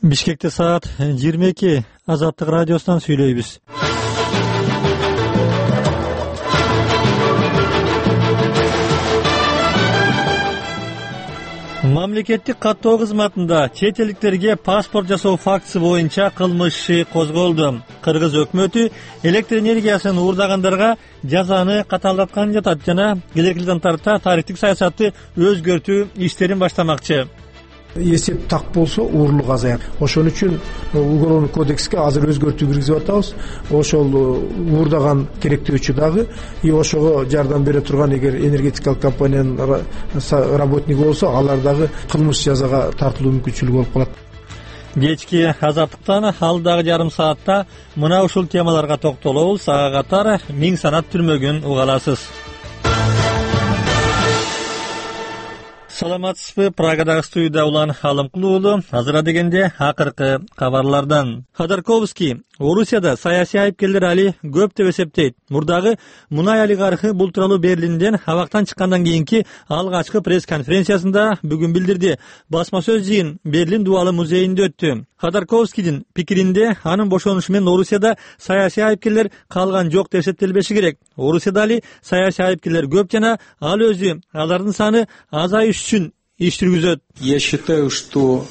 Бишкекте саат 22. Азаттык радиосунан сүйлөйбүз. Мамлекеттик каттоо кызматында чет элдиктерге паспорт жасоо фактысы боюнча кылмыш иши козголду. Кыргыз өкмөтү электр энергиясын уурдагандарга жазаны катаалдаткан жатат жана келерки жылдан тарта тарифтик саясатты өзгөртүү иштерин баштамакчы. Эсеп так болсо уурлук азаят. Ошон үчүн уголовный кодекске азыр өзгөртүү киргизип атабыз. Ошол уурдаган керектөөчү дагы ошого жардам бере турган эгер энергетикалык компаниянын работниги болсо, алар дагы кылмыш жазага тартылуу мүмкүнчүлүгү болуп калат. Кечки азаттыктан алдагы жарым саатта мына ушул темаларга токтолобуз. Ага катар миң санат түрмөгүн уга аласыз. Саламатсызбы? Прагадагы студияда Улан Алымкулуу уулу. Азыр дегенде акыркы кабарлардан. Ходорковский Орусияда саясий айыпкерлер али көп деп эсептейт. Мурдагы мунай олигархы бул тууралуу Берлинден абактан чыккандан кийинки алгачкы пресс-конференциясында бүгүн билдирди. Басма сөз жыйын Берлин дубалы музейинде өттү. Ходорковскийдин пикиринде анын бошонушу менен Орусияда саясий айыпкерлер калган жок деп эсептелбеши керек. Орусияда али саясий айыпкерлер көп жана ал өзү алардын саны азайыш үчүн иш жүргүзөт. Я считаю, что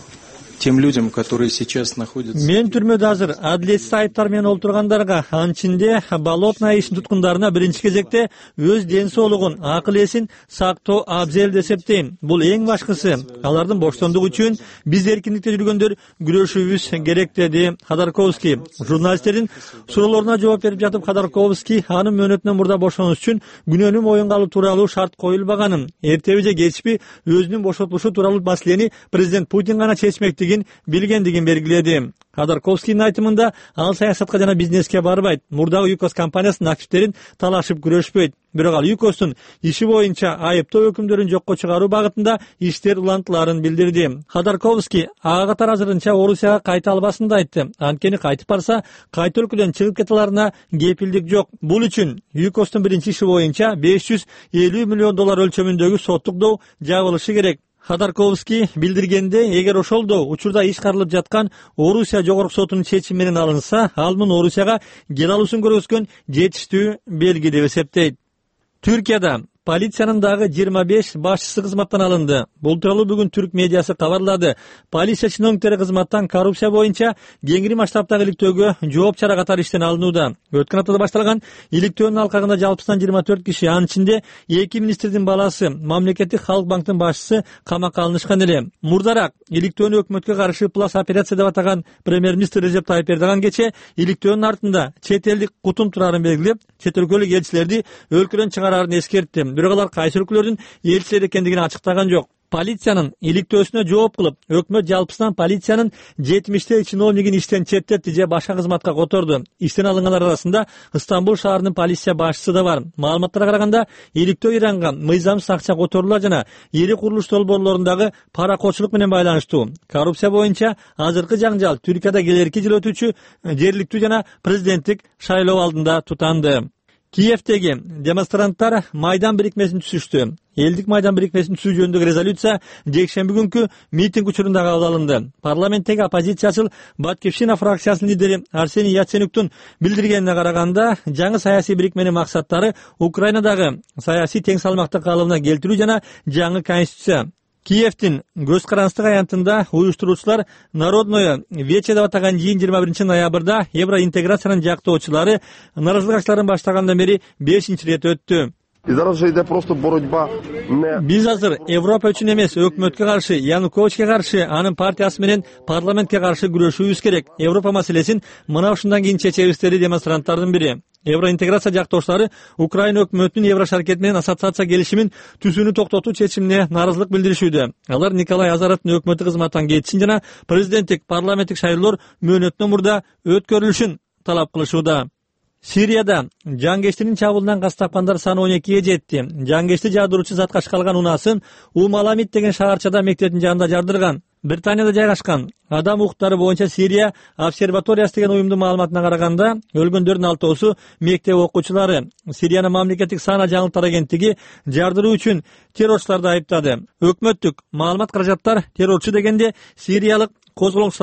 тем людям, которые сейчас находятся... Мен түрмөдө азыр адилетсиз айыптар менен олтургандарга, анын ичинде болотная ишин туткундарына биринчи кезекте өз ден соолугун, акыл эсин сактоо абзел деп эсептейм. Бул эң башкысы. Алардын боштондугу үчүн биз эркиндикте жүргөндөр күрөшүүбүз керек, деди Ходорковский. Журналисттердин суроолоруна жооп берип жатып Ходорковский анын мөөнөтүнөн мурда бошонуш үчүн күнөөнү моюнга алуу тууралуу шарт коюлбаганын, эртеби же кечпи өзүнүн бошотулушу тууралуу маселени президент Путин гана чечмектигин билгендигин белгиледи. Ходорковскийдин айтымында ал саясатка жана бизнеске барбайт. Мурдагы ЮКОС компаниясынын активдерин талашып күрөшпөйт. Бирок ал ЮКОСтун иши боюнча айыптоо өкүмдөрүн жокко чыгаруу багытында иштер улантыларын билдирди. Ходорковский ага катар азырынча Орусияга кайта албасын да айтты. Анткени кайтып барса, кайта өлкөдөн чыгып кете аларына кепилдик жок. Бул үчүн ЮКОСтун биринчи иши боюнча $550 миллион өлчөмүндөгү соттук доо жабылышы керек. Ходорковский билдиргенде, эгер ошол учурда иш каралып жаткан Орусия жогорку сотунун чечими менен алынса, ал муну Орусияга кел алуусун көргөзгөн жетиштүү белги деп эсептейт. Түркияда полициянын дагы 25 башчысы кызматтан алынды. Бул тууралуу бүгүн түрк медиасы кабарлады. Полиция чиновниктери кызматтан коррупция боюнча кеңири масштабтагы иликтөөгө жооп чара катары иштен алынууда. Өткөн аптада башталган иликтөөнүн алкагында жалпысынан 24 киши, анын ичинде 2 министрдин баласы, мамлекеттик Халк банктын башчысы камакка алынышкан эле. Мурдараак иликтөөнү өкмөткө каршы плас операция деп атаган премьер-министр Режеп Тайып Эрдоган кече иликтөөнүн артында чет элдик кутум турарын белгилеп, чет өлкөлүк элчилерди өлкөдөн чыгараарын эскертти. Бирок алар кайсы өлкөлөрдүн элчилери экендигин ачыктаган жок. Полициянын иликтөөсүнө жооп кылып, өкмөт жалпысынан полициянын 70 чиновнигин иштен четтетти же башка кызматка которду. Иштен алынгандар арасында Стамбул шаарынын полиция башчысы да бар. Маалыматтарга караганда, иликтөө Иранга мыйзамсыз акча которуулар жана ири курулуш долбоорлорундагы паракочулук менен байланыштуу. Коррупция боюнча азыркы жаңжал Түркияда келерки жыл өтүүчү жергиликтүү жана президенттик шайлоо алдында тутанды. Киевдеги демонстранттар Майдан бирикмесин түзүштү. Элдик Майдан бирикмесин түзүү жөнүндөгү резолюция жекшемби күнкү митинг учурунда кабыл алынды. Парламенттеги оппозициячыл Баткивщина фракциясынын лидери Арсений Яценюктун билдиргенине караганда, жаңы саясий бирикменин максаттары Украинадагы саясий тең салмакты калыбына келтирүү жана жаңы конституция. Киевдин көз карандык аянтында уюштуруучулар Народное вече деп атаган жыйын 21 ноябрда евроинтеграциянын жактоочулары нааразылык акцияларын баштагандан бери 5-чи рет өттү. Биз азыр Европа үчүн эмес, өкмөткө каршы, Януковичке каршы, анын партиясы менен парламентке каршы күрөшүүбүз керек. Европа маселесин мына ушундан кийин чечебиз, деди демонстранттардын бири. Евроинтеграция жактоочулары Украина өкмөтүнүн Еврошаркет менен ассоциация келишимин түзүүнү токтотуу чечимине нааразылык билдиришүүдө. Алар Николай Азаровдун өкмөтү кызматтан кетишин жана президенттик парламенттик шайлоолор мөөнөтүнөн мурда өткөрүлүшүн талап кылышууда. Сирияда жангечтинин чабуулунан каз тапкандар саны 12-ге жетти. Жангечти жаадыруучу затка ашкалган унаасын Умаламит деген шаарчада мектептин жанында жардырган. Британияда жайгашкан адам укуктары боюнча Сирия обсерваториясы деген уюмдун маалыматына караганда, өлгөндөрдүн 6-оосу мектеп окуучулары. Сириянын мамлекеттик сана жаңылыктар агенттиги жардыруу үчүн террорчуларды айыптады. Өкмөттүк маалымат каражаттар террорчу дегенде сириялык козголоңчулар